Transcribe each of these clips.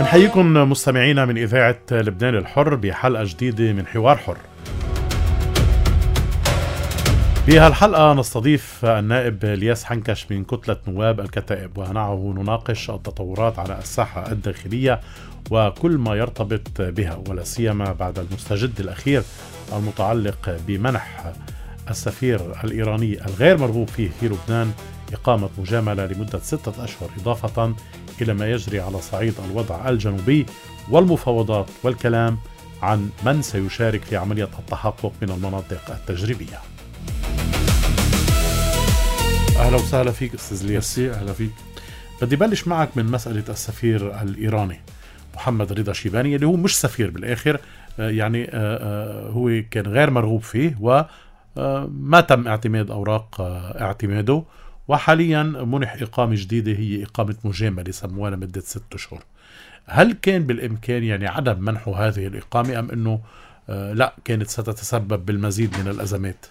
بنحييكم مستمعينا من إذاعة لبنان الحر بحلقة جديدة من حوار حر. بهالحلقة نستضيف النائب الياس حنكش من كتلة نواب الكتائب، ومعه نناقش التطورات على الساحة الداخلية وكل ما يرتبط بها، ولا سيما بعد المستجد الأخير المتعلق بمنح السفير الإيراني الغير مرغوب فيه في لبنان إقامة مجاملة لمدة 6 أشهر، إضافة إلى ما يجري على صعيد الوضع الجنوبي والمفاوضات والكلام عن من سيشارك في عملية التحقق من المناطق التجريبية. أهلا وسهلا فيك أستاذ الياس. أهلا فيك. بدي بلش معك من مسألة السفير الإيراني محمد رضا شيباني، اللي هو مش سفير بالآخر، يعني هو كان غير مرغوب فيه وما تم اعتماد أوراق اعتماده، وحاليا منح إقامة جديدة هي إقامة مجاملة سموها لمدة 6 أشهر. هل كان بالإمكان يعني عدم منحه هذه الإقامة، أم أنه لا كانت ستتسبب بالمزيد من الأزمات؟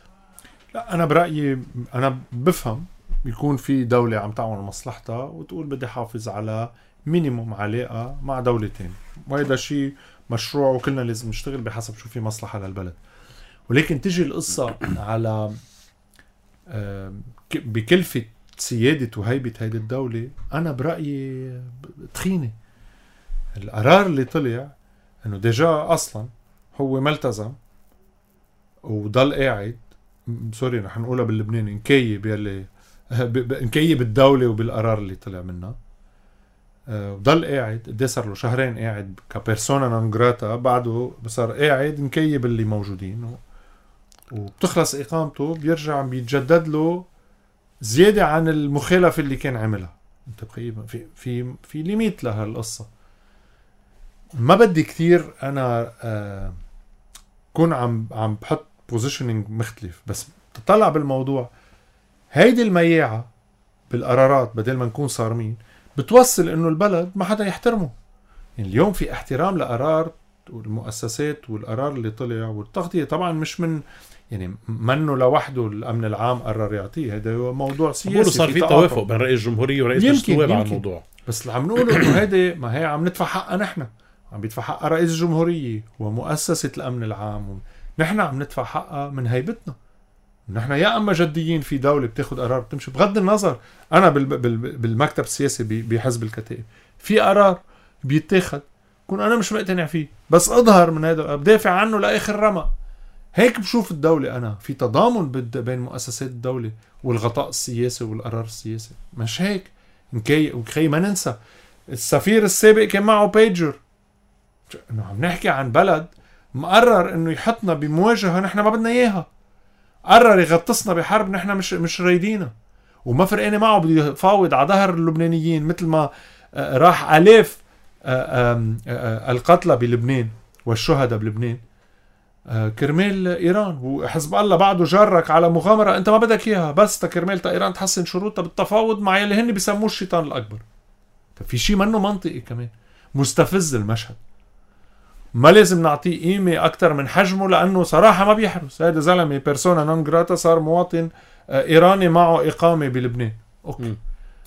لا، أنا برأيي أنا بفهم يكون في دولة عم تعمل مصلحتها وتقول بدي حافظ على مينيموم علاقة مع دولتين، وهذا شيء مشروع وكلنا لازم نشتغل بحسب شو في مصلحة للبلد. ولكن تجي القصة على بكلفة سيادة وهيبة هيدي الدولة، أنا برأيي تخينة. القرار اللي طلع أنه ديجا أصلا هو ملتزم وضل قاعد، سوري رح نقولها باللبناني، نكيب يلي نكيب الدولة وبالقرار اللي طلع منها، وضل قاعد. قد صار له 2 شهر قاعد كبيرسونا نون جراتا، بعده صار قاعد نكيب اللي موجودين، وبتخلص إقامته بيرجع بيتجدد له زيادة عن المخالفة اللي كان عملها. انت تقريبا في ليميت لها القصة. ما بدي كتير انا كون عم بحط بوزيشنينج مختلف، بس تطلع بالموضوع هيدي المياعة بالقرارات بدل ما نكون صارمين بتوصل انه البلد ما حدا يحترمه. يعني اليوم في احترام لقرار والمؤسسات والقرار اللي طلع والتغطية، طبعا مش من يعني منه لوحده الأمن العام قرر يعطيه، هذا هو موضوع سياسي. صار في توافق بين رئيس الجمهورية ورئيس مجلس النواب على الموضوع، بس اللي عم نقوله انه هذا ما هي عم ندفع حقها، نحن عم بيدفع حقها رئيس الجمهورية ومؤسسة الأمن العام، نحن عم ندفع حقها من هيبتنا. نحن يا أما جديين في دولة بتاخد قرار بتمشي بغض النظر. أنا بالمكتب السياسي بحزب الكتائب في قرار بيتاخد كون أنا مش مقتنع فيه، بس أظهر من هذا بدافع عنه لآخر رمق. هيك بشوف الدولة. أنا في تضامن بين مؤسسات الدولة والغطاء السياسي والقرار السياسي، مش هيك وكي ما ننسى السفير السابق كان معه بيجر. إنه عم نحكي عن بلد مقرر إنه يحطنا بمواجهة نحن ما بدنا إياها، قرر يغطسنا بحرب نحن مش رايدينها، وما فرقاني معه بده يفاوض على ظهر اللبنانيين، مثل ما راح آلاف القتلى بلبنان والشهداء بلبنان كرمال إيران. وحزب الله بعده جرك على مغامرة أنت ما بدك إياها، بس تكرمال إيران تحسن شروطها بالتفاوض مع يلي هن بيسموه الشيطان الأكبر. في شيء منه منطقي كمان، مستفز المشهد، ما لازم نعطيه قيمة أكتر من حجمه، لأنه صراحة ما بيحرس. هذا زلمة بيرسونا نون جراتا، صار مواطن إيراني معه إقامة بلبنان. أوكي.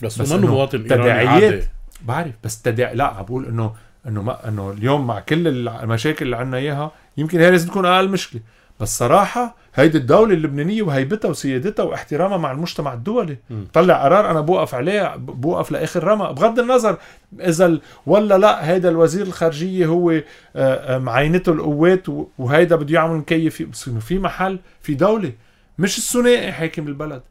بس منه مواطن إيراني عادي. بعرف، بس لا عبقول إنه اليوم مع كل المشاكل اللي عنا إياها يمكن هي لازم تكون أقل مشكلة، بس صراحة هيدي الدولة اللبنانية وهيبتها وسيادتها واحترامها مع المجتمع الدولي طلع قرار أنا بوقف عليه، بوقف لآخر رمق بغض النظر إذا ولا لا. هيدا الوزير الخارجية هو معينته القوات وهيدا بده يعمل مكيف، بس إنه في محل في دولة مش الثنائي حاكم البلد.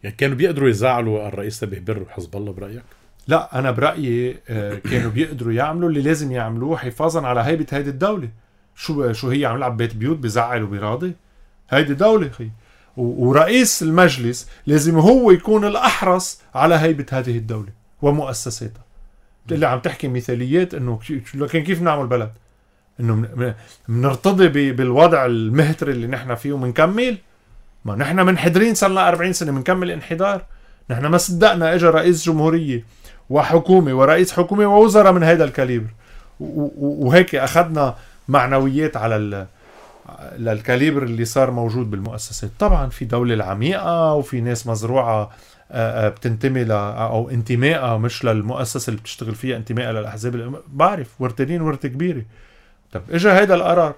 يعني كانوا بيقدروا يزعلوا الرئيس تبه بر وحزب الله برأيك؟ لا، أنا برأيي كانوا بيقدروا يعملوا اللي لازم يعملوه حفاظا على هيبة هيدي الدولة. شو هي عم لعب بيت بيوت بزعل وبيراضي؟ هيدي دولة خي، ورئيس المجلس لازم هو يكون الأحرص على هيبة هذه الدولة ومؤسساتها. اللي عم تحكي مثاليات إنه لكن كيف نعمل بلد؟ إنه منرتضي بالوضع المهتر اللي نحن فيه ومنكمل؟ ما نحن منحدرين صارنا 40 سنة منكمل انحدار. نحن ما صدقنا اجى رئيس جمهورية وحكومة ورئيس حكومة ووزراء من هيدا الكاليبر وهيك أخذنا معنويات للكاليبر اللي صار موجود بالمؤسسات. طبعا في دولة العميقة وفي ناس مزروعة بتنتمي أو انتمائها مش للمؤسسة اللي بتشتغل فيها، انتمائها للأحزاب. بعرف ورتين ورتة كبيرة. طب اجا هيدا القرار،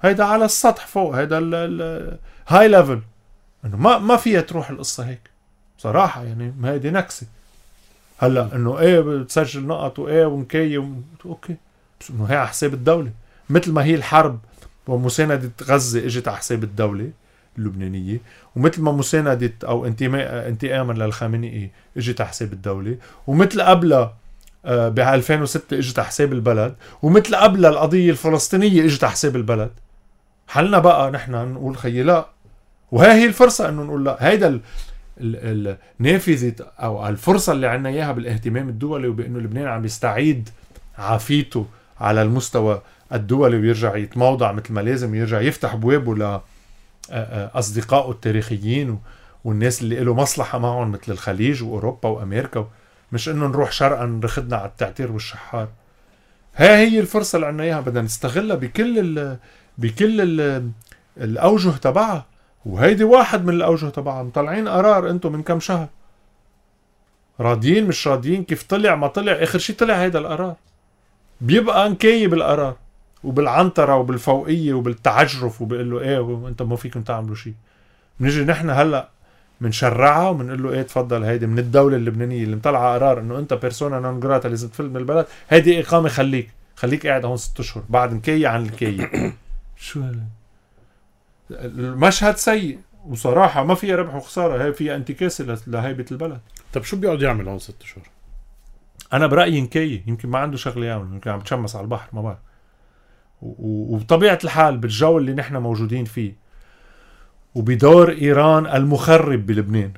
هيدا على السطح فوق، هيدا الهاي ليفل، انه ما فيها تروح القصة هيك بصراحة. يعني ما هيدي نكسة. هلا انه ايه بتسجل نقط وايه ونكي اوكي، بس انه هي على حساب الدولة. مثل ما هي الحرب ومساندة غزة اجت على حساب الدولة اللبنانية، ومثل ما مساندة او انتقاما للخامنئي اجت على حساب الدولة، ومثل قبلها ب 2006 اجت على حساب البلد، ومثل قبلها القضية الفلسطينية اجت على حساب البلد. حلنا بقى نحن نقول خيي لا، وهي الفرصة انه نقول لا. هيدا النافذة او الفرصة اللي عنا اياها بالاهتمام الدولي، وبانه لبنان عم يستعيد عافيته على المستوى الدولي ويرجع يتموضع مثل ما لازم، يرجع يفتح بوابه لأصدقائه التاريخيين والناس اللي له مصلحة معهم مثل الخليج وأوروبا وأمريكا، مش إنه نروح شرقا نرخدنا على التعتير والشحار. هي الفرصة اللي عنا إياها، بدنا نستغلها بكل الأوجه تبعها. وهيدي واحد من الأوجه تبعها. مطلعين قرار أنتم من كم شهر، راضيين مش راضيين، كيف طلع ما طلع، آخر شي طلع هيدا القرار. بيبقى نكاية بالقرار وبالعنطرة وبالفوقية وبالتعجرف، وبقول له ايه وانت ما فيكم تعملوا شيء. بنيجي نحن هلا منشرعها ومنقول له ايه تفضل، هيدي من الدولة اللبنانية اللي مطلعة قرار انه انت بيرسونا نون جراتا لازم تفل من البلد، هيدي اقامة خليك قاعد هون 6 اشهر بعد نكاية عن الكاية. شو المشهد سيء، وصراحة ما فيها ربح وخسارة، هي فيها انتكاسة لهيبة البلد. طب شو بيقعد يعمل هون 6 اشهر؟ انا برأيي نكاية، يمكن ما عنده شغله يعمل، يمكن عم بتشمس على البحر، ما بعرف. وبطبيعة الحال بالجو اللي نحن موجودين فيه وبدور إيران المخرب بلبنان،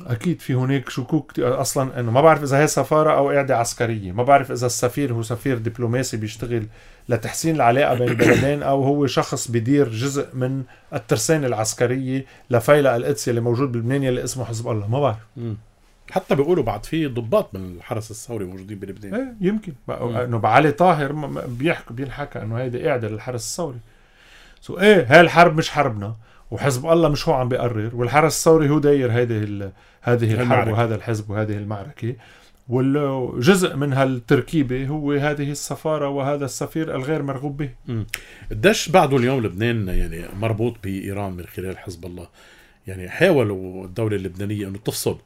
أكيد في هناك شكوك أصلا أنه ما بعرف إذا هي سفارة أو قاعدة عسكرية، ما بعرف إذا السفير هو سفير دبلوماسي بيشتغل لتحسين العلاقة بين البلدين، أو هو شخص بيدير جزء من الترسانة العسكرية لفيلق القدس اللي موجود بلبنان اللي اسمه حزب الله. ما بعرف. حتى بيقولوا بعد في ضباط من الحرس الثوري موجودين بلبنان. ايه يمكن انه بعلي طاهر بينحكى انه هيدا قاعده للحرس الثوري. ايه هاي الحرب مش حربنا، وحزب الله مش هو عم بيقرر، والحرس الثوري هو داير هذه الحرب وهذا الحزب وهذه المعركه، والجزء من هالتركيبه هو هذه السفاره وهذا السفير الغير مرغوب به. قديش بعده اليوم لبنان يعني مربوط بإيران من خلال حزب الله؟ يعني حاولوا الدولة اللبنانية انه تفصل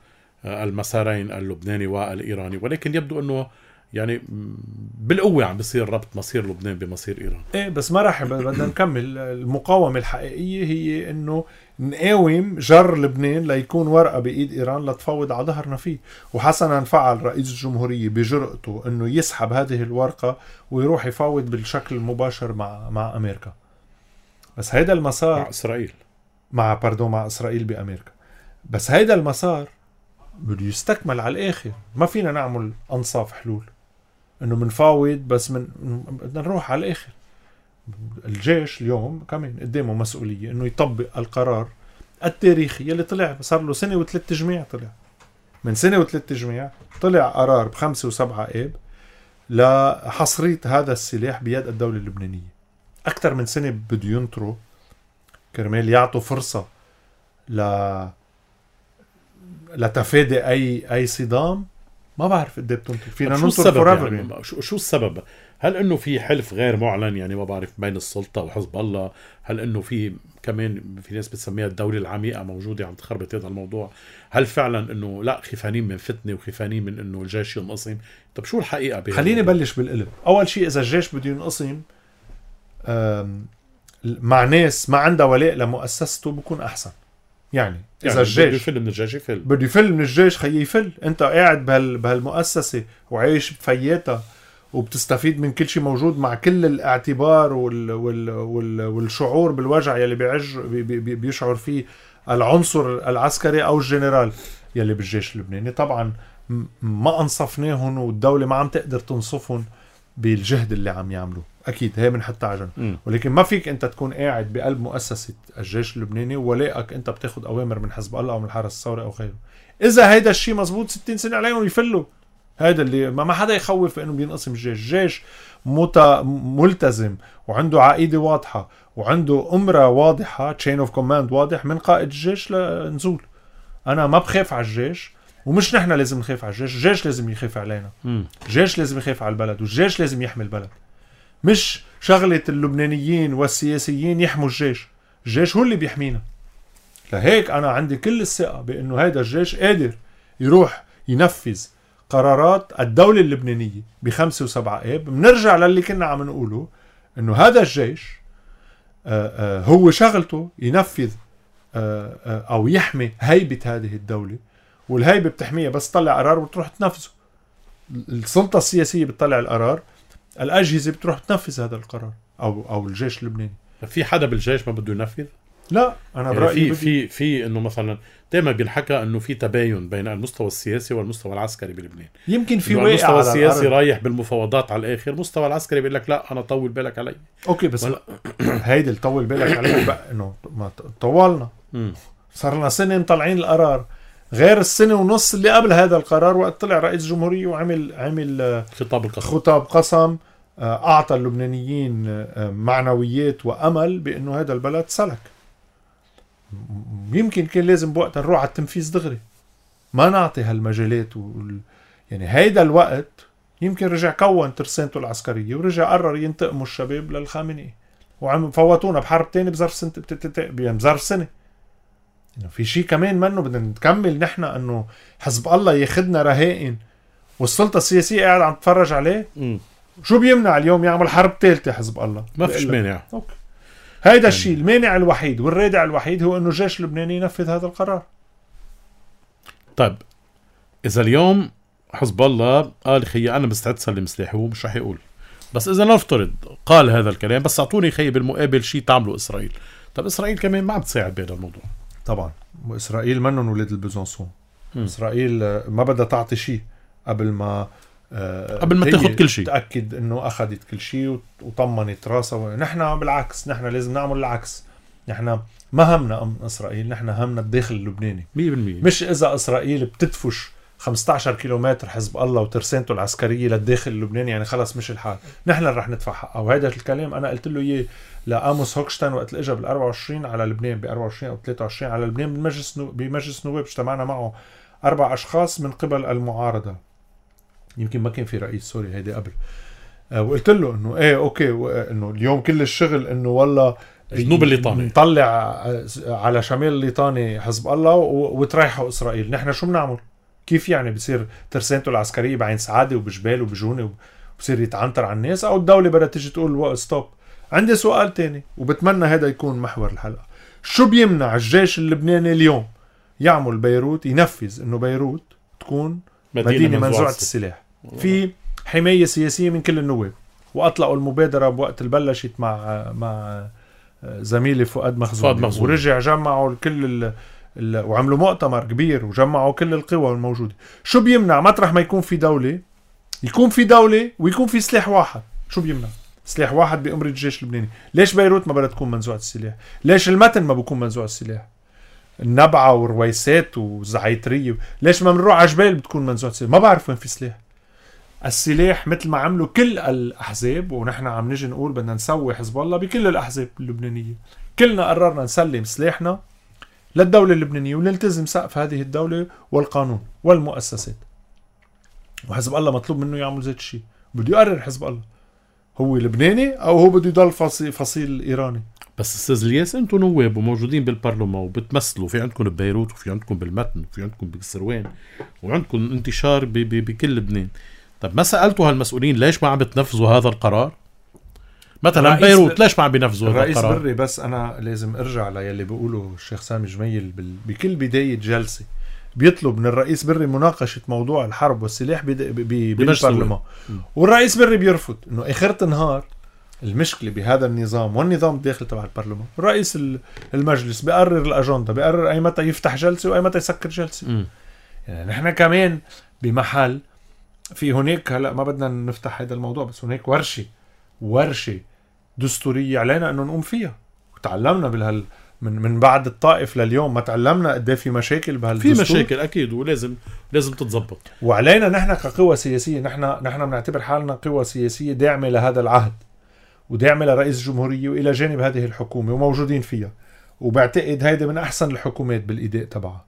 المسارين اللبناني والإيراني، ولكن يبدو أنه يعني بالقوة عم بيصير ربط مصير لبنان بمصير إيران. إيه بس ما راح بدنا نكمل. المقاومة الحقيقية هي إنه نقاوم جر لبنان ليكون ورقة بإيد إيران لتفوض على ظهرنا فيه. وحسنا فعل رئيس الجمهورية بجرأته إنه يسحب هذه الورقة ويروح يفاوض بالشكل المباشر مع أمريكا. بس هيدا المسار مع إسرائيل مع إسرائيل بأمريكا. بس هيدا المسار بده يستكمل على الآخر. ما فينا نعمل أنصاف حلول إنه منفاوض بس بدنا نروح على الآخر. الجيش اليوم كمان قدامه مسؤولية إنه يطبق القرار التاريخي يلي طلع صار له 1 و3 تجميع. طلع من 1 و3 تجميع طلع قرار ب5 و7 آب لحصرية هذا السلاح بيد الدولة اللبنانية. أكثر من سنة بده ينطروا كرمال يعطوا فرصة لتفادي اي صدام. ما بعرف قد ايه بتنطر. فينا ننطر فوريفر يعني. شو السبب؟ هل انه في حلف غير معلن يعني ما بعرف بين السلطه وحزب الله؟ هل انه في كمان في ناس بتسميها الدوله العميقه موجوده عم تخربط هذا الموضوع؟ هل فعلا انه لا خيفانين من فتنه وخيفانين من انه الجيش ينقسم؟ طب شو الحقيقه خليني بلش بالقلب. اول شيء اذا الجيش بده ينقسم مع ناس ما عندها ولاء لمؤسسته بكون احسن. يعني إذا الجيش بده يفل من الجيش بده يفل من الجيش خيي يفل. أنت قاعد بهالمؤسسة وعايش بفياتها وبتستفيد من كل شيء موجود مع كل الاعتبار والشعور بالوجع يلي بيشعر فيه العنصر العسكري أو الجنرال يلي بالجيش اللبناني. طبعا ما أنصفناهم والدولة ما عم تقدر تنصفهم بالجهد اللي عم يعملوه. أكيد هي من حتى عجن. ولكن ما فيك أنت تكون قاعد بقلب مؤسسة الجيش اللبناني ولاقك أنت بتاخد أوامر من حزب الله أو من الحرس الثوري أو غيره. إذا هيدا الشيء مزبوط 60 سنة عليهم يفلوا. هيدا اللي ما حدا يخوف إنه بينقسم الجيش. الجيش ملتزم وعنده عقيدة واضحة وعنده أمرة واضحة chain of command واضح من قائد الجيش لنزول. أنا ما بخاف على الجيش، ومش نحن لازم نخاف على الجيش، الجيش لازم يخاف علينا. الجيش لازم يخاف على البلد، والجيش لازم يحمي البلد. مش شغلة اللبنانيين والسياسيين يحموا الجيش، الجيش هو اللي بيحمينا. لهيك أنا عندي كل الثقة بأنه هيدا الجيش قادر يروح ينفذ قرارات الدولة اللبنانية ب5 و7 آب. بنرجع للي كنا عم نقوله، أنه هذا الجيش هو شغلته ينفذ أو يحمي هيبة هذه الدولة، والهيبة بتحميها بس تطلع قرار وتروح تنفذه. السلطة السياسية بتطلع القرار، الأجهزة بتروح تنفذ هذا القرار، أو الجيش اللبناني. في حدا بالجيش ما بده ينفذ؟ لا، أنا يعني برأيي في إنه مثلا دائما بينحكى إنه في تباين بين المستوى السياسي والمستوى العسكري بلبنان. يمكن في واقع المستوى على السياسي الأرض. رايح بالمفاوضات على الآخر، مستوى العسكري بيقول لك لا أنا طول بالك علي. أوكي بس هيدي طول بالك عليه بقى، إنه ما طولنا، صار لنا سنة مطلعين القرار، غير السنة ونص اللي قبل هذا القرار وقت طلع رئيس جمهورية وعمل خطاب قسم أعطى اللبنانيين معنويات وأمل بأنه هذا البلد سلك. يمكن كان لازم بوقتها نروح على التنفيذ دغري، ما نعطي هالمجالات يعني هيدا الوقت يمكن رجع كون ترسانته العسكرية ورجع قرر ينتقموا الشباب للخامنئي، وعم فوتونا بحرب تاني بظرف سنة بظرف سنة. يعني في شيء كمان منه بدنا نكمل نحن انه حزب الله ياخدنا رهائن والسلطة السياسية قاعد عم تتفرج عليه. شو بيمنع اليوم يعمل حرب ثالثة حزب الله؟ ما فيش مانع. أوكي. هيدا الشيء المانع الوحيد والرادع الوحيد هو انه الجيش اللبناني ينفذ هذا القرار. طيب اذا اليوم حزب الله قال خي انا مستعد سلم سلاحي، هو مش رح يقول، بس اذا نفترض قال هذا الكلام بس اعطوني خي بالمقابل شيء تعمله اسرائيل، طب اسرائيل كمان ما عم تساعد بهذا الموضوع. طبعا اسرائيل منهم ولاد البزنسون. اسرائيل ما بدها تعطي شيء قبل ما تاخذ كل شيء، تأكد انه اخذت كل شيء وطمنت راسها. نحن بالعكس، نحن لازم نعمل العكس. نحن ما همنا امن اسرائيل، نحن همنا الداخل اللبناني 100%. مش اذا اسرائيل بتدفش 15 كيلومتر حزب الله وترسانته العسكرية للداخل اللبناني يعني خلص مش الحال، نحن رح ندفع حقه. وهذا الكلام انا قلت له اياه لآموس هوكشتاين وقت اجى بال24 على لبنان، ب24 او 23 على لبنان بمجلس نواب. اجتمعنا معه 4 اشخاص من قبل المعارضة، يمكن ما كان في رئيس سوري هيدي قبل. وقلت له انه ايه اوكي، انه اليوم كل الشغل انه والله جنوب الليطاني نطلع على شمال الليطاني حزب الله وتريحوا اسرائيل. نحن شو بنعمل؟ كيف يعني بصير ترسانته العسكرية بعين سعادة وبجبال وبجونة وبصير يتعنتر على الناس، او الدولة بدها تيجي تقول ستوب؟ عندي سؤال تاني وبتمنى هذا يكون محور الحلقة. شو بيمنع الجيش اللبناني اليوم يعمل بيروت، ينفذ انه بيروت تكون مدينة منزوعة السلاح؟ في حماية سياسية من كل النواب، وأطلقوا المبادرة بوقت البلشت مع زميلي فؤاد مخزون. ورجع جمعوا كل وعملوا مؤتمر كبير وجمعوا كل القوى الموجودة. شو بيمنع مطرح ما يكون في دولة يكون في دولة ويكون في سلاح واحد؟ شو بيمنع سلاح واحد بأمر الجيش اللبناني؟ ليش بيروت ما بدها تكون منزوعة السلاح؟ ليش المتن ما بيكون منزوع السلاح؟ النبعة ورويسات وزعيترية ليش ما بنروح على جبال بتكون منزوعة السلاح؟ ما بعرف وين في سلاح. السلاح مثل ما عملوا كل الأحزاب، ونحن عم نجي نقول بدنا نسوي حزب الله بكل الأحزاب اللبنانية، كلنا قررنا نسلم سلاحنا للدولة اللبنانية ونلتزم سقف هذه الدولة والقانون والمؤسسات. وحزب الله مطلوب منه يعمل زي الشيء. بده يقرر حزب الله هو لبناني أو هو بده يضل فصيل إيراني. بس استاذ الياس، انتم نواب وموجودين بالبرلمان وبتمثلوا، في عندكم ببيروت وفي عندكم بالمتن وفي عندكم بالسروان وعندكم انتشار بكل لبنان. طب ما سألتوا هالمسؤولين ليش ما عم بتنفذوا هذا القرار؟ مثلا بيروت ليش ما عم بينفذوا هذا القرار؟ الرئيس بري، بس انا لازم ارجع للي بيقوله الشيخ سامي جميل بكل بداية جلسة بيطلب من الرئيس بري مناقشة موضوع الحرب والسلاح بالبرلمان، والرئيس بري بيرفض. انه اخرة النهار المشكلة بهذا النظام والنظام الداخلي تبع البرلمان، رئيس المجلس بيقرر الأجندة، بيقرر أي متى يفتح جلسة وأي متى يسكر جلسة. يعني نحن كمان بمحل في هناك، هلأ ما بدنا نفتح هذا الموضوع، بس هناك ورشة دستورية علينا أنه نقوم فيها. وتعلمنا من بعد الطائف لليوم ما تعلمنا قد في مشاكل بهالدستور. في مشاكل أكيد ولازم تتضبط. وعلينا نحن كقوة سياسية، نحن بنعتبر حالنا قوة سياسية داعمة لهذا العهد، وداعمة لرئيس الجمهورية وإلى جانب هذه الحكومة وموجودين فيها، وبعتقد هيدا من أحسن الحكومات بالإداء تبعها.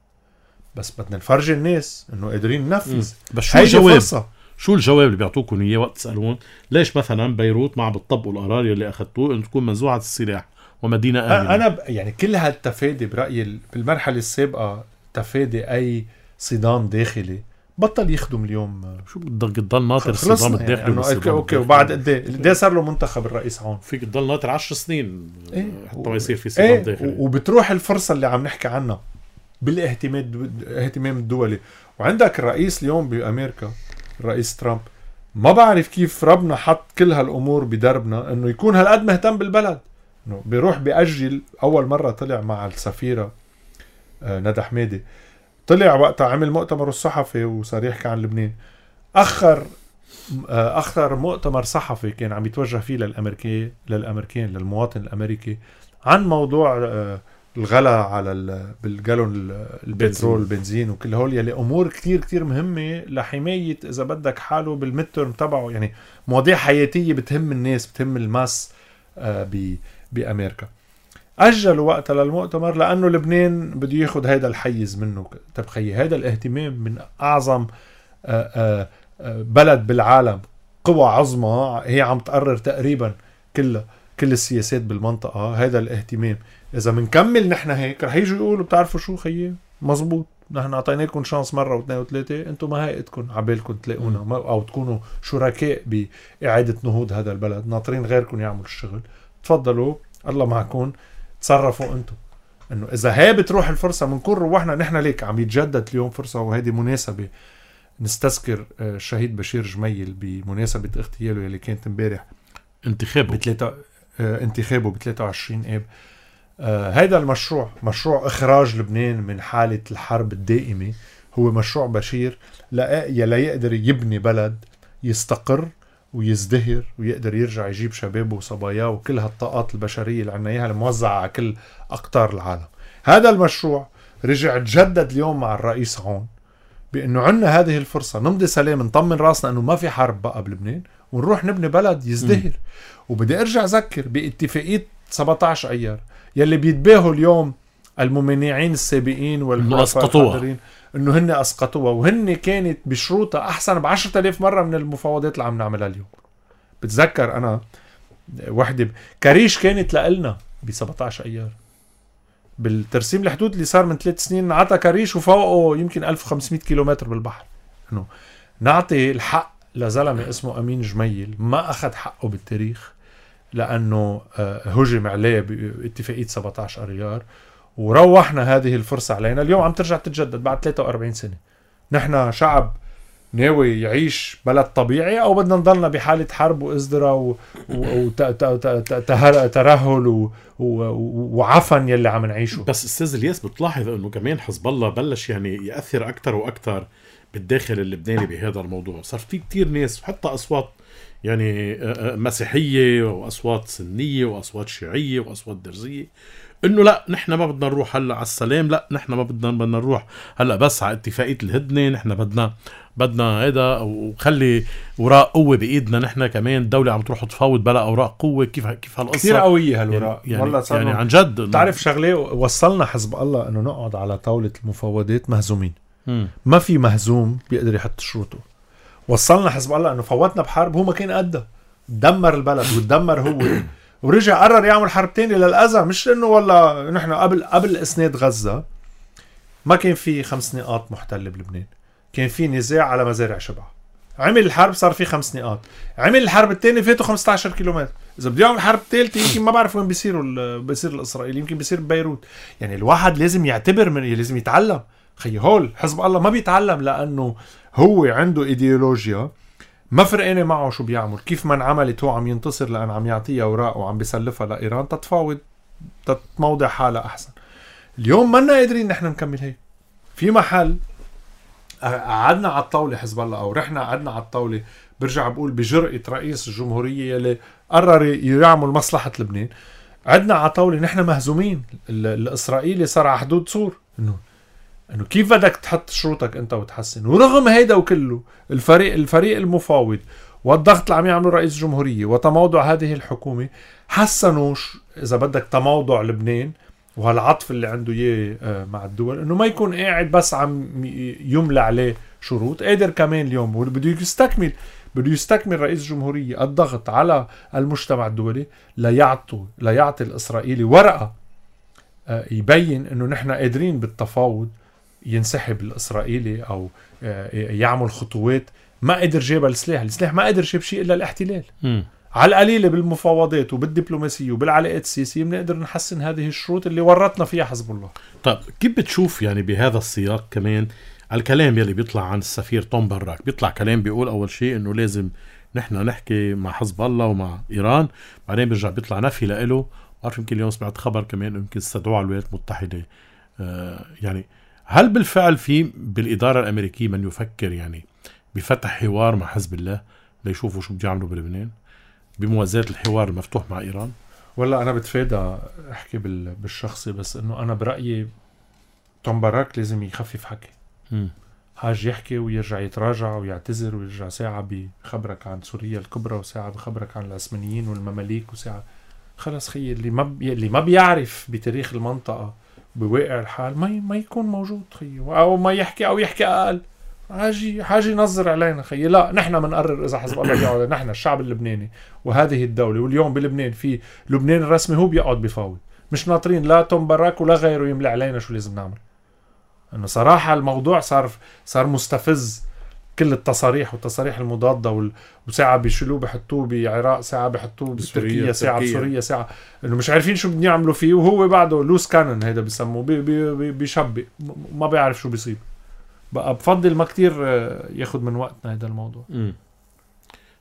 بس بدنا نفرجي الناس إنه قادرين ننفذ. بس شو الجواب؟ شو الجواب اللي بيعطوكم إياه وقت تسألون ليش مثلا بيروت ما عم بتطبقوا القرار اللي أخذتوه إنه تكون منزوعة السلاح ومدينة آمنة؟ أنا يعني كل هالتفادي برأيي بالمرحلة السابقة تفادي أي صدام داخلي بطل يخدم اليوم. شو بدك تضل ناطر الصدام الداخلي؟ يعني اوكي وبعد قد صار له منتخب الرئيس هون؟ فيك تضل ناطر 10 سنين حتى ما يصير في صدام داخلي. وبتروح الفرصة اللي عم نحكي عنها بالاهتمام الدولي. وعندك الرئيس اليوم بأمريكا الرئيس ترامب، ما بعرف كيف ربنا حط كل هالأمور بدربنا إنه يكون هالقد مهتم بالبلد. إنه بيروح بيأجل. أول مرة طلع مع السفيرة ندى حمادي، طلع وقتها عمل مؤتمر الصحفي وصار يحكي عن لبنان. أخر مؤتمر صحفي كان عم يتوجه فيه للأمريكان للمواطن الأمريكي عن موضوع الغلا على بالجالون البترول البنزين وكل هول يلي أمور كتير كتير مهمة لحماية إذا بدك حاله بالمترم تبعه. يعني مواضيع حياتية بتهم الناس، بتهم الماس بأمريكا. أجلوا وقتها للمؤتمر لأنه لبنان بده ياخد هيدا الحيز منه. تبخي هيدا الاهتمام من أعظم بلد بالعالم، قوى عظمى هي عم تقرر تقريبا كل السياسات بالمنطقة. هيدا الاهتمام إذا منكمل نحن هيك رح يجوا يقولوا بتعرفوا شو خيي مزبوط، نحن أعطيناكم شانس مرة واثنين وثلاثة، انتم ما هيئتكم عبالكم تلاقونا أو تكونوا شركاء بإعادة نهوض هذا البلد، ناطرين غيركم يعملوا الشغل. تفضلوا الله معكم، تصرفوا انتم. انه اذا هي بتروح الفرصه بنكون روحنا نحن. ليك عم يتجدد اليوم فرصه، وهذه مناسبه نستذكر الشهيد بشير جميل بمناسبه اغتياله اللي كانت امبارح انتخابه ب 23 اب. هذا المشروع مشروع اخراج لبنان من حاله الحرب الدائمه، هو مشروع بشير لا يقدر يبني بلد يستقر ويزدهر ويقدر يرجع يجيب شبابه وصباياه وكل هالطاقات البشرية اللي عنا إياها الموزعة على كل أقطار العالم. هذا المشروع رجع تجدد اليوم مع الرئيس هون بأنه عنا هذه الفرصة نمضي سلام، نطمن راسنا أنه ما في حرب بقى بلبنان ونروح نبني بلد يزدهر. وبدي أرجع أذكر باتفاقية 17 أيار يلي بيتباهوا اليوم الممانعين السابقين والحلفاء الحاضرين انه هن اسقطوها، وهن كانت بشروطها احسن ب10,000 مرة من المفاوضات اللي عم نعملها اليوم. بتذكر انا وحدة كريش كانت لقلنا ب17 ايار بالترسيم الحدود اللي صار من 3 سنين، عطى كريش وفوقه يمكن 1500 كيلومتر بالبحر. انه نعطي الحق لزلمة اسمه امين جميل ما اخذ حقه بالتاريخ لانه هجم عليه باتفاقية 17 ايار، وروحنا هذه الفرصة علينا. اليوم عم ترجع تتجدد بعد 43 سنة. نحن شعب ناوي يعيش بلد طبيعي أو بدنا نضلنا بحالة حرب وإزدراء وترهل وعفن يلي عم نعيشه؟ بس أستاذ الياس بتلاحظ أنه كمان حزب الله بلش يعني يأثر أكتر وأكتر بالداخل اللبناني بهذا الموضوع. صار في كتير ناس حتى أصوات يعني مسيحية وأصوات سنية وأصوات شيعية وأصوات درزية انه لا نحن ما بدنا نروح هلا على السلام، لا نحن ما بدنا نروح هلا بس على اتفاقية الهدنة، نحن بدنا هذا وخلي وراء قوة بإيدنا. نحن كمان الدولة عم تروح تفاوض بلا أوراق قوة. كيف هالقصة كثير قوية هالوراق يعني عن جد. تعرف شغلة، وصلنا حزب الله انه نقعد على طاولة المفاوضات مهزومين. ما في مهزوم بيقدر يحط شروطه. وصلنا حزب الله انه فوتنا بحرب هو ما كان قدها، دمر البلد وتدمر هو ورجع قرر يعمل حرب تاني للأذى. مش انه والله نحن قبل اسناد غزة ما كان في 5 نقاط محتلة بلبنان، كان في نزاع على مزارع شبع. عمل الحرب صار في 5 نقاط، عمل الحرب التاني فاتوا 15 كيلومتر. اذا بده يعمل حرب ثالثه يمكن ما بعرف وين بيصير الاسرائيلي، يمكن بيصير ببيروت. يعني الواحد لازم يعتبر لازم يتعلم. خي هول حزب الله ما بيتعلم لانه هو عنده ايديولوجيا ما فرقانه معه شو بيعمل. كيف ما انعملت هو عم ينتصر لأن عم يعطيها اوراق وعم بيسلفها لإيران تتفاوض تتموضع حالها احسن. اليوم ما لنا قادرين نحن نكمل هيك. في محل قعدنا على الطاوله حزب الله او رحنا قعدنا على الطاوله، برجع بقول بجرأة رئيس الجمهوريه يلي قرر يعمل مصلحه لبنان. قعدنا على طاوله نحن مهزومين. الاسرائيلي صار على حدود سور انه كيف بدك تحط شروطك انت وتحسن. ورغم هيدا وكله الفريق المفاوض والضغط اللي عم يعمله رئيس الجمهورية وتموضع هذه الحكومة حسنوا إذا بدك تموضع لبنان وهالعطف اللي عنده إياه مع الدول، إنه ما يكون قاعد بس عم يملى عليه شروط. قادر كمان اليوم بده يستكمل رئيس الجمهورية الضغط على المجتمع الدولي ليعطي الإسرائيلي ورقة يبين إنه نحن قادرين بالتفاوض ينسحب الإسرائيلي أو يعمل خطوات. ما قدر جيب السلاح ما قدر جيب شيء إلا الاحتلال. على القليلة بالمفاوضات وبالدبلوماسية وبالعلاقات السياسية بنقدر نحسن هذه الشروط اللي ورطنا فيها حزب الله. طيب كيف بتشوف يعني بهذا السياق كمان الكلام يلي بيطلع عن السفير توم براك؟ بيطلع كلام بيقول أول شيء إنه لازم نحن نحكي مع حزب الله ومع إيران، بعدين بيرجع بيطلع نفي لإله. بعرف يمكن اليوم سمعت خبر كمان يمكن استدعوا على الولايات المتحدة. يعني هل بالفعل في بالإدارة الأمريكية من يفكر يعني بفتح حوار مع حزب الله ليشوفوا شو بده يعملوا بلبنان بموازاة الحوار المفتوح مع إيران؟ ولا أنا بتفادى أحكي بالشخصي، بس إنه أنا برأيي توم باراك لازم يخفف حكي. حاج يحكي ويرجع يتراجع ويعتذر ويرجع ساعة بخبرك عن سوريا الكبرى وساعة بخبرك عن العثمانيين والمماليك وساعة خلص خي اللي ما بيعرف بتاريخ المنطقة بواقع الحال ما يكون موجود خي، أو ما يحكي أو يحكي أقل. حاجي ينظر علينا خي. لا نحن منقرر إذا حزب الله بيقعد، نحن الشعب اللبناني وهذه الدولة. واليوم بلبنان في لبنان الرسمي هو بيقعد بفاوض، مش ناطرين لا توم باراك ولا غيره يملي علينا شو لازم نعمل. انه صراحة الموضوع صار مستفز. كل التصاريح والتصاريح المضادة وساعة بيشيلوه بحطوه بعراق، ساعة بحطوه بتركيا، ساعة بسوريا، ساعة انه مش عارفين شو بدنا يعملوا فيه، وهو بعده لوس كانن هيدا بيسموه بيشبق ما بيعرف شو بيصيب. بقى بفضل ما كتير ياخد من وقتنا هذا الموضوع.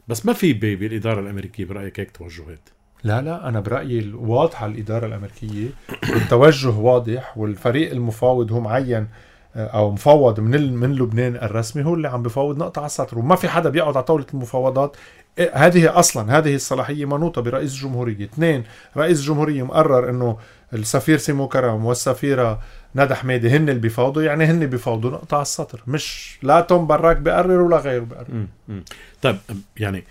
بس ما في بالإدارة الأمريكية برأيك هيك توجهات؟ لا أنا برأيي واضحة الإدارة الأمريكية والتوجه واضح، والفريق المفاوض هو معين أو مفوض من لبنان الرسمي هو اللي عم بفاوض نقطة على السطر، وما في حدا بيقعد على طاولة المفاوضات. هذه الصلاحية منوطة برئيس الجمهورية. 2 رئيس الجمهورية مقرر إنه السفير سيمو كرم والسفيرة ندى حميدي هن اللي بيفاوضوا، يعني هن بيفاوضوا نقطة على السطر، مش لا توم باراك بيقرر ولا غيره بيقرر. طيب يعني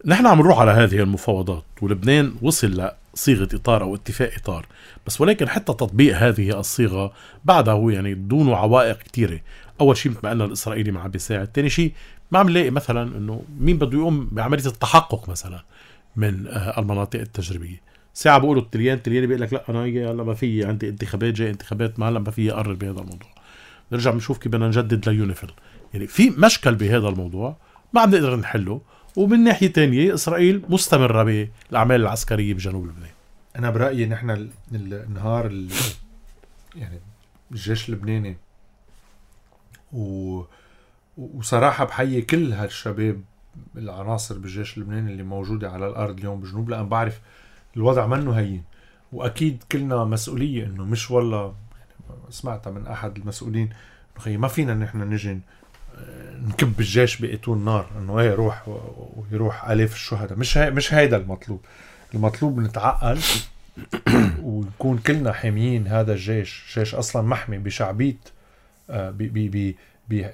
نحن عم نروح على هذه المفاوضات ولبنان وصل لصيغة إطار أو اتفاق إطار، بس ولكن حتى تطبيق هذه الصيغة بعده يعني دون عوائق كتيرة. أول شيء مثل ما قلنا الإسرائيلي ما عم بيساعد، تاني شيء ما عم نلاقي مثلا إنه مين بده يقوم بعملية التحقق مثلا من المناطق التجريبية. ساعة بيقولوا التليان بيقول لك لا أنا هلا ما في عندي انتخابات، جاي انتخابات ما هلا ما في أقرر بهذا الموضوع. نرجع بنشوف كيف بدنا نجدد ليونيفيل. يعني في مشكل بهذا الموضوع ما عم نقدر نحله. ومن ناحية تانية إسرائيل مستمرة بالأعمال العسكرية بجنوب لبنان. أنا برأيي نحن النهار يعني الجيش اللبناني وصراحة بحيي كل هالشباب العناصر بالجيش اللبناني اللي موجودة على الأرض اليوم بجنوب، لأن بعرف الوضع منه هين، وأكيد كلنا مسؤولية. إنه مش والله يعني سمعتها من أحد المسؤولين إنه خي ما فينا نحن نجي نكب الجيش بقيتون نار، إنه إيه ويروح آلاف الشهداء. مش هيدا المطلوب نتعقل ونكون كلنا حاميين هذا الجيش. جيش أصلا محمي بشعبية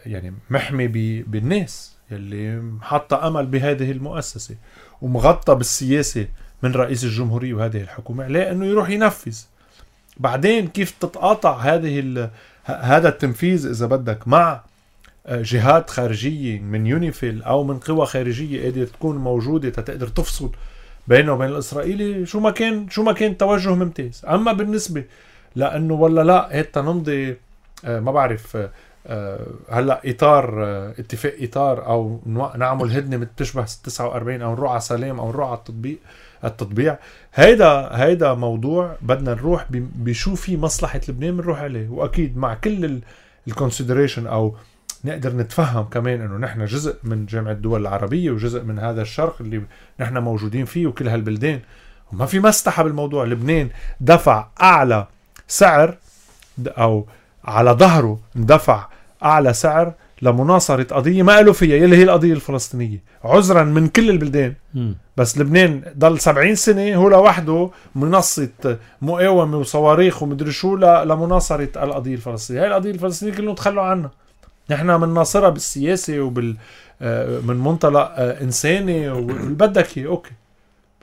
يعني محمي بالناس يلي حاطة أمل بهذه المؤسسة، ومغطى بالسياسة من رئيس الجمهورية وهذه الحكومة لأنه يروح ينفذ. بعدين كيف تتقاطع هذا التنفيذ إذا بدك مع جهات خارجية من يونيفيل أو من قوى خارجية قادرة تكون موجودة تقدر تفصل بينه وبين الإسرائيلي، شو ما كان توجه ممتاز. أما بالنسبة لأنه ولا لا هيتا نمضي ما بعرف هلا إطار اتفاق إطار أو نعمل هدنة بتشبه 49 أو نروح على سلام أو نروح على التطبيع، هيدا موضوع بدنا نروح بشو في مصلحة لبنان بنروح عليه. وأكيد مع كل الكونسيدريشن أو نقدر نتفهم كمان إنه نحن جزء من جامعة الدول العربية وجزء من هذا الشرق اللي نحن موجودين فيه وكل هالبلدان، وما في مسطحة بالموضوع. لبنان دفع أعلى سعر أو على ظهره دفع أعلى سعر لمناصرة قضية ما قالوا فيها يلي هي القضية الفلسطينية عذرا من كل البلدان. بس لبنان ضل 70 سنة هو لوحده منصة مقاومة وصواريخ ومدري شو لمناصرة القضية الفلسطينية. هاي القضية الفلسطينية كلهم تخلوا عنها. نحن من ناصرة بالسياسة من منطلق إنساني وبدك هي أوكي.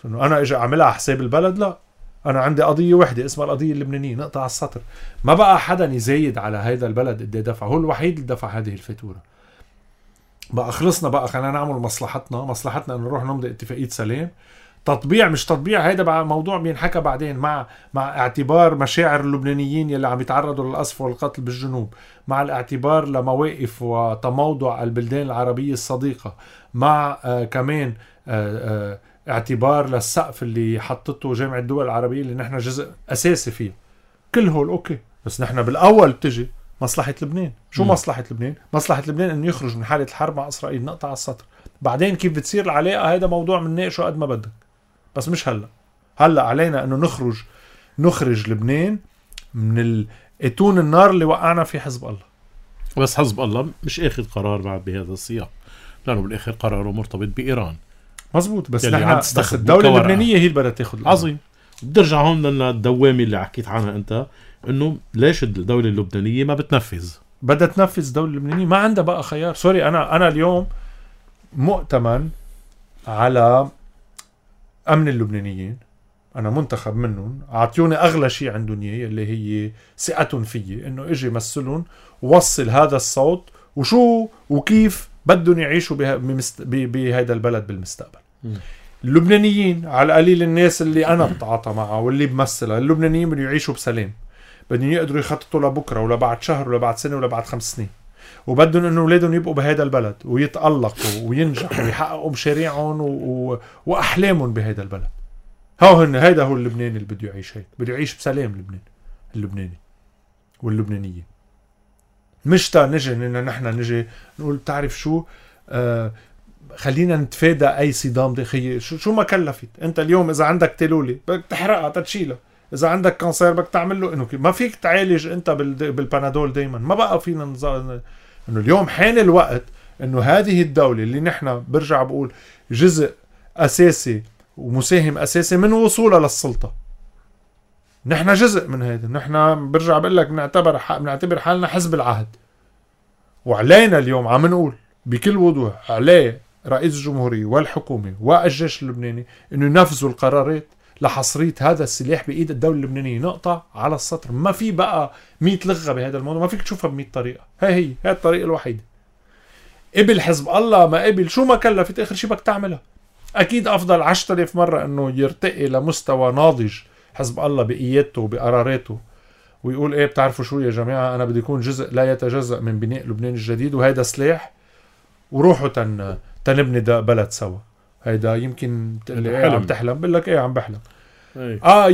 أنا إجا أعملها على حساب البلد؟ لا، أنا عندي قضية واحدة اسمها القضية اللبنانية، نقطع على السطر. ما بقى حدا يزايد على هيدا البلد قد دفع، هو الوحيد اللي دفع هذه الفاتورة. بقى خلصنا، بقى خلينا نعمل مصلحتنا إنه نروح نمضي اتفاقية سلام. تطبيع مش تطبيع، هيدا بقى موضوع بينحكى بعدين، مع اعتبار مشاعر اللبنانيين يلي عم يتعرضوا للقصف والقتل بالجنوب، مع الاعتبار لمواقف وتموضع البلدان العربية الصديقة، مع كمان اعتبار للسقف اللي حطته جامعة الدول العربية اللي نحن جزء أساسي فيه. كل هول أوكي، بس نحن بالأول بتجي مصلحة لبنان. شو مصلحة لبنان؟ مصلحة لبنان إنه يخرج من حالة الحرب مع إسرائيل، نقطع على السطر. بعدين كيف بتصير العلاقة هيدا موضوع منناقشه قد ما بدك، بس مش هلأ علينا إنه نخرج لبنان من اتون النار اللي وقعنا في حزب الله. بس حزب الله مش اخذ قرار بعد بهذا السياق، لأنه بالآخر قراره مرتبط بإيران. مزبوط، بس نحن بس الدولة اللبنانية هي اللي بدها تاخذ. عظيم. بترجع هون للدوامة اللي حكيت عنها أنت، إنه ليش الدولة اللبنانية ما بتنفذ؟ بدها تنفذ. الدولة اللبنانية ما عندها بقى خيار. سوري، أنا اليوم مؤتمن على أمن اللبنانيين، أنا منتخب منهم، عطيوني أغلى شيء عندهم إياه اللي هي ثقتهم فيي، إنه إجي مثلهم ووصل هذا الصوت وشو وكيف بدهم يعيشوا بهذا البلد بالمستقبل. اللبنانيين على قليل الناس اللي أنا بتعاطى معها واللي بمثلها، اللبنانيين بدهم يعيشوا بسلام، بدهم يقدروا يخططوا لبكرة ولا بعد شهر ولا بعد سنة ولا بعد 5 سنين، وبدهم إنه أولادهم يبقوا بهذا البلد ويتألقوا وينجحوا ويحققوا مشاريعهم وأحلامهم بهذا البلد. هيدا هو اللبناني اللي بده يعيش هيك، بده يعيش بسلام. اللبناني واللبنانية مش نجي نحن نجي نقول تعرف شو، خلينا نتفادى أي صدام داخلي. شو ما كلفت أنت اليوم؟ إذا عندك تلولي بدك تحرقها تتشيلها، إذا عندك كانسير بدك تعمل له إنه ما فيك تعالج أنت بالبنادول دايما. ما بقى فينا إنه اليوم حان الوقت إنه هذه الدولة اللي نحن برجع بقول جزء أساسي ومساهم أساسي من وصولها للسلطة، نحن جزء من هذا. نحن برجع بقول لك بنعتبر حالنا حزب العهد، وعلينا اليوم عم نقول بكل وضوح عليه رئيس الجمهورية والحكومة والجيش اللبناني إنه ينفذوا القرارات لحصرية هذا السلاح بإيد الدولة اللبنانية. نقطة على السطر. ما في بقى 100 لغة بهذا الموضوع، ما فيك تشوفها ب100 طريقة. هي الطريقة الوحيدة. قبل حزب الله ما قبل، شو ما كلفت آخر شي بدك تعملها. أكيد أفضل 10,000 مرة إنه يرتقي لمستوى ناضج حزب الله بقيادته وبقراراته، ويقول إيه بتعرفوا شو يا جماعة، أنا بدي يكون جزء لا يتجزأ من بناء لبنان الجديد، وهيدا سلاح، وروحوا تنبني ده بلد سوا. هيدا يمكن اللي عم تحلم بقول لك إيه عم بحلم.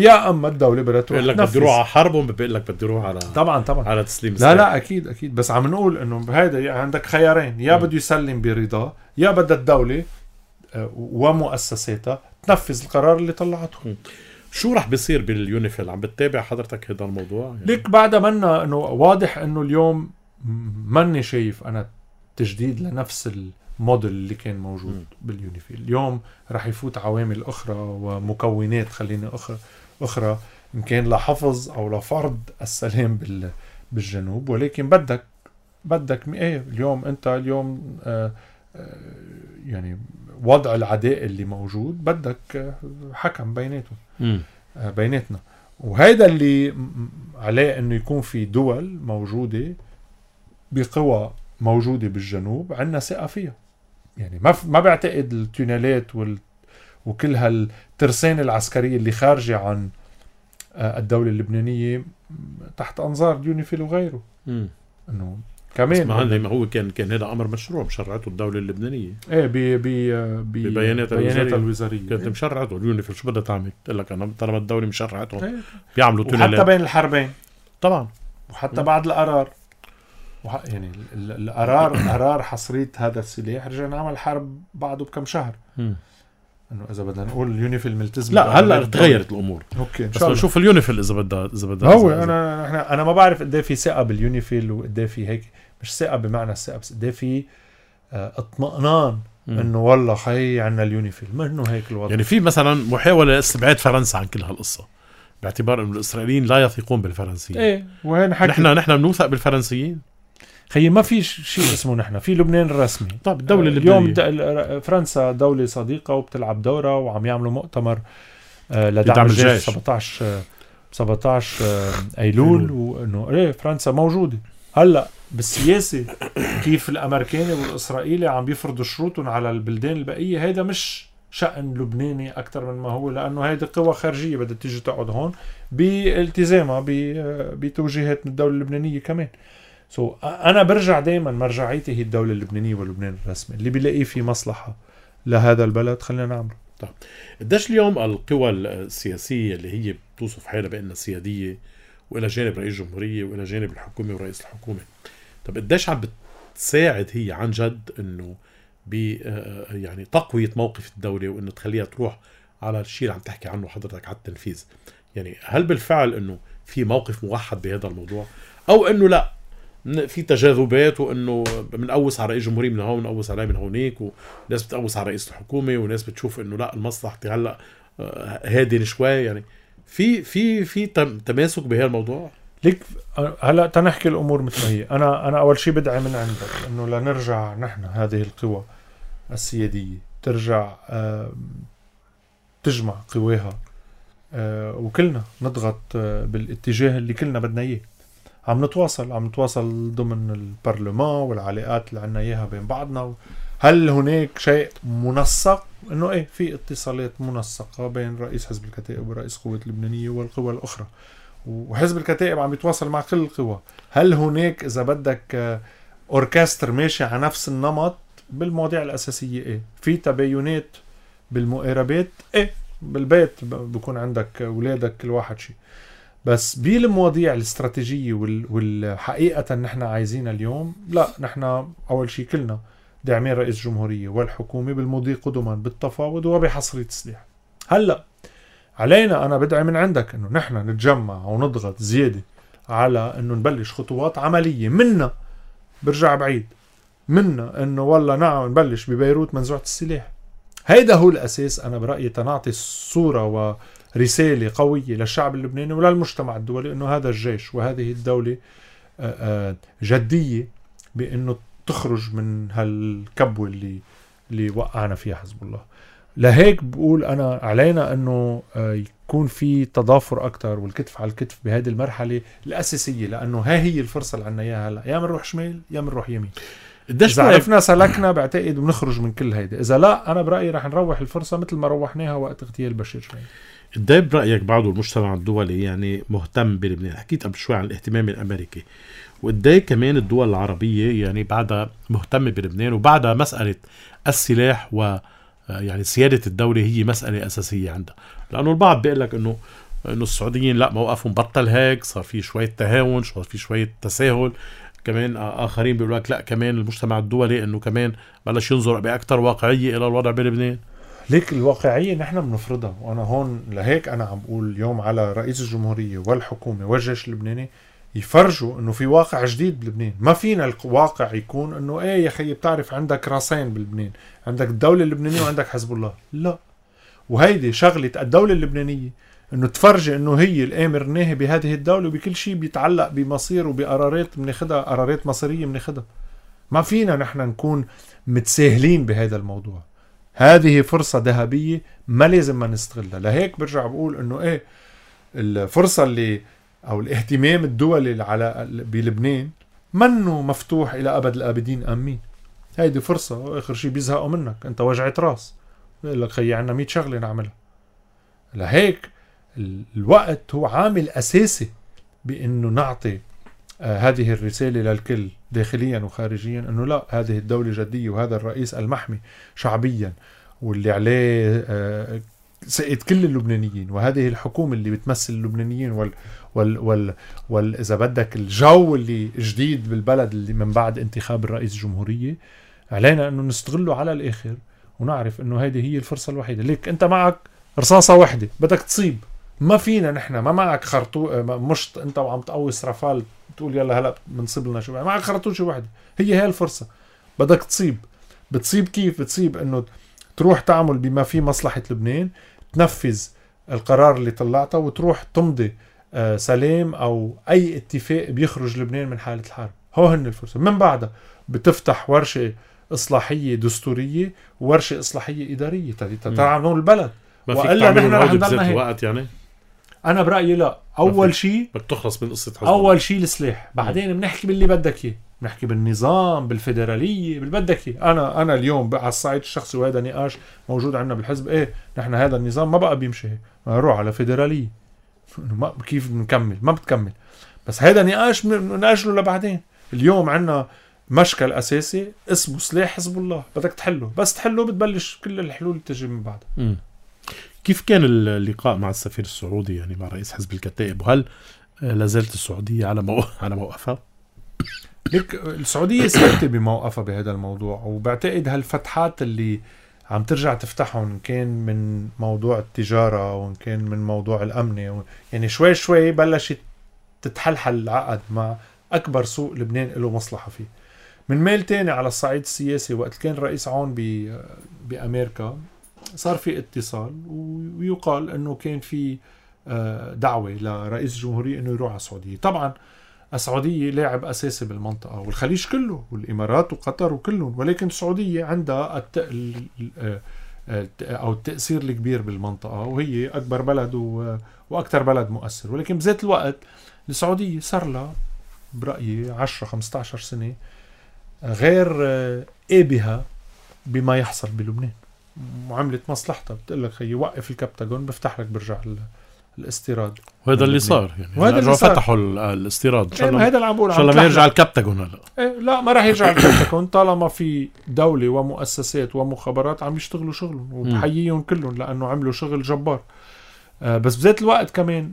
يا أما الدولة بدها تروح بقول لك بدي روح على حرب، وبقول لك بدي روح على طبعا على تسليم السلاح. لا أكيد بس عم نقول إنه هيدا عندك خيارين، يا بده يسلم برضا، يا بدها الدولة ومؤسساتها تنفذ القرار اللي طلعته. شو رح بيصير باليونيفيل؟ عم بتتابع حضرتك هذا الموضوع يعني؟ ليك بعد منا انه واضح انه اليوم ماني شايف انا تجديد لنفس الموديل اللي كان موجود باليونيفيل. اليوم رح يفوت عوامل اخرى ومكونات خلينا اخرى ان كان لحفظ او لفرض السلام بالجنوب، ولكن بدك اليوم انت اليوم يعني وضع العداء اللي موجود بدك حكم بيناتنا، وهيدا اللي عليه انه يكون في دول موجودة بقوى موجودة بالجنوب عنا ثقة فيها. يعني ما بعتقد التونيلات وكل هالترسانة العسكرية اللي خارجة عن الدولة اللبنانية تحت انظار اليونيفيل وغيره انه كمان ما هو كان هذا امر مشروع مشرعته الدوله اللبنانيه ببياناتها الوزاريه كانت مشرعته اليونيفيل. شو بدها تعمل؟ قال لك انا طالما الدوله مشرعتهم بيعملوا تونيلات وحتى بين الحربين طبعا، وحتى بعد القرار يعني القرار حصرية هذا السلاح رجع نعمل حرب بعده بكم شهر. انه اذا بدنا نقول اليونيفيل ملتزم، لا هلا تغيرت الامور. اوكي بس نشوف اليونيفيل اذا بدها هو انا ما بعرف قد ايه في ثقه باليونيفيل وقد ايه في هيك، مش ثقه بمعنى الثقه، بس قد ايه في اطمئنان انه والله خي عنا اليونيفيل، ما انه هيك الوضع. يعني في مثلا محاوله لاستبعاد فرنسا عن كل هالقصه باعتبار انه الاسرائيليين لا يثقون بالفرنسيين. وين حكي نحن بنوثق بالفرنسيين. خيي ما في شيء اسمه نحن في لبنان الرسمي. طب الدولة اللبنانية اليوم فرنسا دولة صديقة وبتلعب دورة وعم يعملوا مؤتمر لدعم الجيش 17 أيلول وإنه إيه فرنسا موجودة. هلأ بالسياسة كيف الأمريكاني والإسرائيلي عم بيفرضوا شروطهم على البلدان البقية، هيدا مش شأن لبناني أكتر من ما هو، لأنه هيدا قوى خارجية بدها تيجي تقعد هون بالتزامها بتوجيهات من الدولة اللبنانية كمان. أنا برجع دايما مرجعيتي هي الدولة اللبنانية ولبنان الرسمي، اللي بيلاقيه في مصلحة لهذا البلد خلينا نعمله. طيب قديش اليوم القوى السياسية اللي هي بتوصف حالها بأنها سيادية وإلى جانب رئيس جمهورية وإلى جانب الحكومة ورئيس الحكومة، طب قديش عم بتساعد هي عن جد إنه يعني تقوية موقف الدولة وإنه تخليها تروح على الشيء اللي عم تحكي عنه حضرتك على التنفيذ؟ يعني هل بالفعل إنه في موقف موحد بهذا الموضوع، أو إنه لا في تجاذبات وإنه بنقوس على رئيس جمهورية من هون ونقوس عليه من هونيك، وناس بتقوس على رئيس الحكومة وناس بتشوف إنه لا المصلحة هلا هادين شوي، يعني في تماسك بهذا الموضوع؟ ليك هلا تنحكي الامور مثل ما هي. انا اول شيء بدعي من عندك انه لنرجع نحن هذه القوى السياديه ترجع تجمع قواها وكلنا نضغط بالاتجاه اللي كلنا بدنا اياه. عم نتواصل ضمن البرلمان والعلاقات اللي عنا اياها بين بعضنا. هل هناك شيء منسق؟ انه ايه في اتصالات منسقه بين رئيس حزب الكتائب ورئيس قوة اللبنانية والقوى الاخرى، وحزب الكتائب عم يتواصل مع كل القوى. هل هناك اذا بدك اوركستر ماشي على نفس النمط بالمواضيع الاساسيه؟ ايه في تباينات بالمقاربات، ايه بالبيت بكون عندك اولادك كل واحد شيء، بس بالمواضيع الاستراتيجيه والحقيقه نحن عايزينها اليوم لا. نحن اول شيء كلنا داعمين رئيس جمهورية والحكومة بالمضي قدما بالتفاوض وبحصرية السلاح. هلأ علينا أنا بدعي من عندك أنه نحن نتجمع ونضغط زيادة على أنه نبلش خطوات عملية. منا برجع بعيد منا أنه والله نعم نبلش ببيروت منزوعة السلاح. هيدا هو الأساس أنا برأيي تنعطي صورة ورسالة قوية للشعب اللبناني وللمجتمع الدولي أنه هذا الجيش وهذه الدولة جدية بأنه تخرج من هالكبوة اللي وقعنا فيها حزب الله. لهيك بقول أنا علينا أنه يكون في تضافر أكتر والكتف على الكتف بهذه المرحلة الأساسية، لأنه هي الفرصة اللي عنا إياها هلا، يا منروح شمال يا منروح يمين. إذا عرفنا سلكنا بعتقد بنخرج من كل هيدا، إذا لا أنا برأيي رح نروح الفرصة مثل ما روحناها وقت اغتيال بشير شوي. قديه برأيك بعض المجتمع الدولي يعني مهتم بلبنان؟ حكيت قبل شوي عن الاهتمام الأمريكي، وقديه كمان الدول العربية يعني بعدها مهتمة بلبنان، وبعدها مسألة السلاح ويعني سيادة الدولة هي مسألة أساسية عندها. لأنه البعض بيقول لك إنه السعوديين لا موقفهم بطل هيك، صار في شوية تهاون، صار في شوية تساهل. كمان آخرين بيقولوا لك لا كمان المجتمع الدولي إنه كمان بلش ينظر بأكتر واقعية إلى الوضع بلبنان. ليك الواقعية نحن بنفرضها، وأنا هون لهيك أنا عم بقول اليوم على رئيس الجمهورية والحكومة والجيش اللبناني يفرجوا إنه في واقع جديد بلبنان. ما فينا الواقع يكون إنه إيه يا خي بتعرف عندك راسين بلبنان، عندك الدولة اللبنانية وعندك حزب الله. لا، وهيدي شغلة الدولة اللبنانية إنه تفرج إنه هي الآمر الناهي بهذه الدولة، وبكل شيء بيتعلق بمصير وبقرارات بناخدها، قرارات مصيرية بناخدها. ما فينا نحن نكون متساهلين بهذا الموضوع. هذه فرصة ذهبية ما لازم ما نستغلها. لهيك برجع بقول إنه إيه الفرصة اللي أو الاهتمام الدولي على بلبنان منه مفتوح إلى أبد الآبدين. آمين. هيدي فرصة، وآخر شيء بيزهقوا منك أنت وجعت راس، بيقول لك خي عنا 100 شغلة نعملها. لهيك الوقت هو عامل أساسي بأنه نعطي هذه الرسالة للكل داخليا وخارجيا أنه لا، هذه الدولة جدية، وهذا الرئيس المحمي شعبيا واللي عليه سقط كل اللبنانيين، وهذه الحكومة اللي بتمثل اللبنانيين إذا بدك الجو اللي جديد بالبلد اللي من بعد انتخاب الرئيس الجمهورية، علينا أنه نستغله على الآخر ونعرف أنه هذه هي الفرصة الوحيدة. ليك أنت معك رصاصة واحدة بدك تصيب، ما فينا نحن ما معك مشط أنت وعم تقوس رافال تقول يلا هلأ بنصيب لنا شو، معك خرطوشة واحدة. هي الفرصة بدك تصيب. بتصيب كيف؟ بتصيب أنه تروح تعمل بما في مصلحة لبنان، تنفذ القرار اللي طلعته، وتروح تمضي سلام أو أي اتفاق بيخرج لبنان من حالة الحرب. هو هن الفرصة. من بعدها بتفتح ورشة إصلاحية دستورية وورشة إصلاحية إدارية تتعاملون البلد. وإلا نحن رح نضلنا وقت يعني. أنا برأيي لا، أول شيء بتخلص من قصة أول شيء السلاح، بعدين بنحكي باللي بدك إياه، بنحكي بالنظام بالفيدرالية باللي بدك إياه. أنا اليوم على الصعيد الشخصي وهذا نقاش موجود عندنا بالحزب، إيه نحن هذا النظام ما بقى بيمشي، نروح على فيدرالية كيف نكمل؟ ما بتكمل. بس هذا نقاش نأجله لبعدين. اليوم عنا مشكل أساسي اسمه سلاح حزب الله، بدك تحله، بس تحله بتبلش كل الحلول تجي من بعدها. كيف كان اللقاء مع السفير السعودي يعني مع رئيس حزب الكتائب، وهل لازالت السعودية على موقفها؟ لك السعودية ثابتة بموقفها بهذا الموضوع، وبعتقد هالفتحات اللي عم ترجع تفتحهم، إن كان من موضوع التجارة وإن كان من موضوع الأمن، يعني شوي شوي بلشت تتحلحل العقد مع أكبر سوق لبنان له مصلحة فيه. من ميل تاني على الصعيد السياسي، وقت كان رئيس عون بأمريكا صار في اتصال، ويقال أنه كان في دعوة لرئيس الجمهورية أنه يروح على السعودية. طبعا السعودية لاعب أساسي بالمنطقة، والخليج كله والإمارات وقطر وكلهم، ولكن السعودية عندها أو التأثير الكبير بالمنطقة، وهي أكبر بلد وأكثر بلد مؤثر. ولكن بذات الوقت السعودية صار لها برأيي 10-15 سنة غير بها بما يحصل بلبنان، وعملت مصلحتها. بتقول لك خيي وقف الكبتاغون بفتح لك برجع الاستيراد، وهذا اللي صار يعني. وهذا اللي فتحوا الاستيراد. هذا اللي عم بقول، ان شاء الله ما يرجع الكبتاغون هلا. لا ما راح يرجع الكبتاغون طالما في دولة ومؤسسات ومخابرات عم يشتغلوا شغلهم، وبحييهم كلهم لأنه عملوا شغل جبار. بس بذات الوقت كمان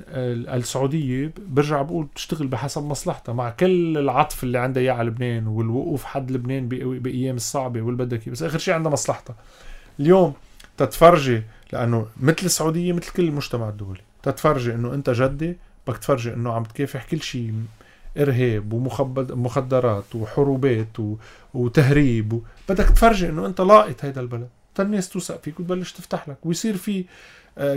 السعودية برجع بقول تشتغل بحسب مصلحتها، مع كل العطف اللي عندها اياه على لبنان والوقوف حد لبنان بأيام الصعبة والبدكي، بس آخر شيء عندها مصلحتها. اليوم تتفرجي، لأنه مثل السعودية مثل كل المجتمع الدولي، تتفرجي إنه أنت جدي بدك تفرجي إنه عم تكافح كل شيء، إرهاب ومخدرات وحروبات وتهريب، بدك تفرجي إنه أنت لاقط هيدا البلد، الناس توثق فيك وتبلش تفتح لك، ويصير في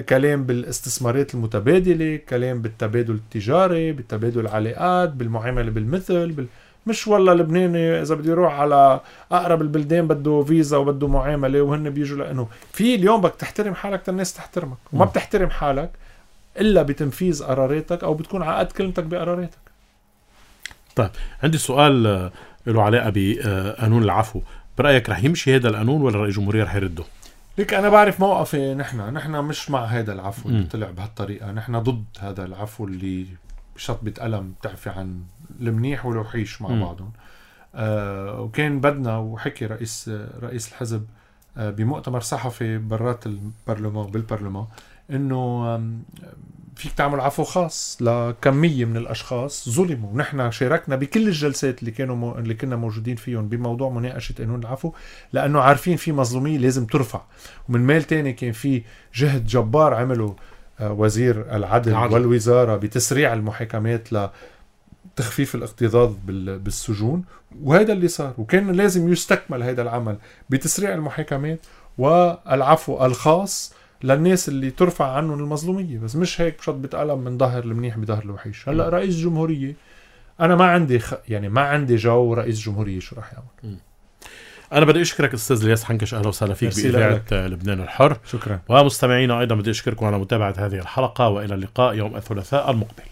كلام بالاستثمارات المتبادلة، كلام بالتبادل التجاري، بالتبادل العلاقات، بالمعاملة بالمثل مش والله لبناني إذا بدي يروح على أقرب البلدان بده فيزا وبده معاملة وهن بيجوا، لأنه في اليوم بدك تحترم حالك الناس تحترمك، وما بتحترم حالك إلا بتنفيذ قراراتك أو بتكون عقد كلمتك بقراراتك. طيب عندي سؤال له علاقة بقانون العفو، برأيك رح يمشي هذا القانون ولا رئيس الجمهورية رح يرده؟ لك أنا بعرف موقفي، نحن مش مع هذا العفو اللي طلع بهالطريقة، نحن ضد هذا العفو اللي بشطبة قلم بتعفي عن المنيح والوحيش مع بعضهم. وكان بدنا، وحكي رئيس الحزب بمؤتمر صحفي برات البرلمان بالبرلمان، انه فيك تعمل عفو خاص لكمية من الاشخاص ظلموا. ونحن شاركنا بكل الجلسات اللي كنا موجودين فيهم بموضوع مناقشة قانون العفو، لانه عارفين في مظلومية لازم ترفع. ومن ميل تاني كان في جهد جبار عمله وزير العدل والوزارة بتسريع المحاكمات لتخفيف الاكتظاظ بالسجون، وهذا اللي صار. وكان لازم يستكمل هذا العمل بتسريع المحاكمات والعفو الخاص للناس اللي ترفع عنهم المظلومية، بس مش هيك بشط بتقلم من ظهر المنيح بظهر الوحيش. هلأ رئيس الجمهورية أنا ما عندي جو رئيس جمهورية شو راح يعمل. أنا بدي أشكرك أستاذ الياس حنكش، أهلا وسهلا فيك بإذاعة لبنان الحر. شكرا. ومستمعينا أيضا بدي أشكركم على متابعة هذه الحلقة، وإلى اللقاء يوم الثلاثاء المقبل.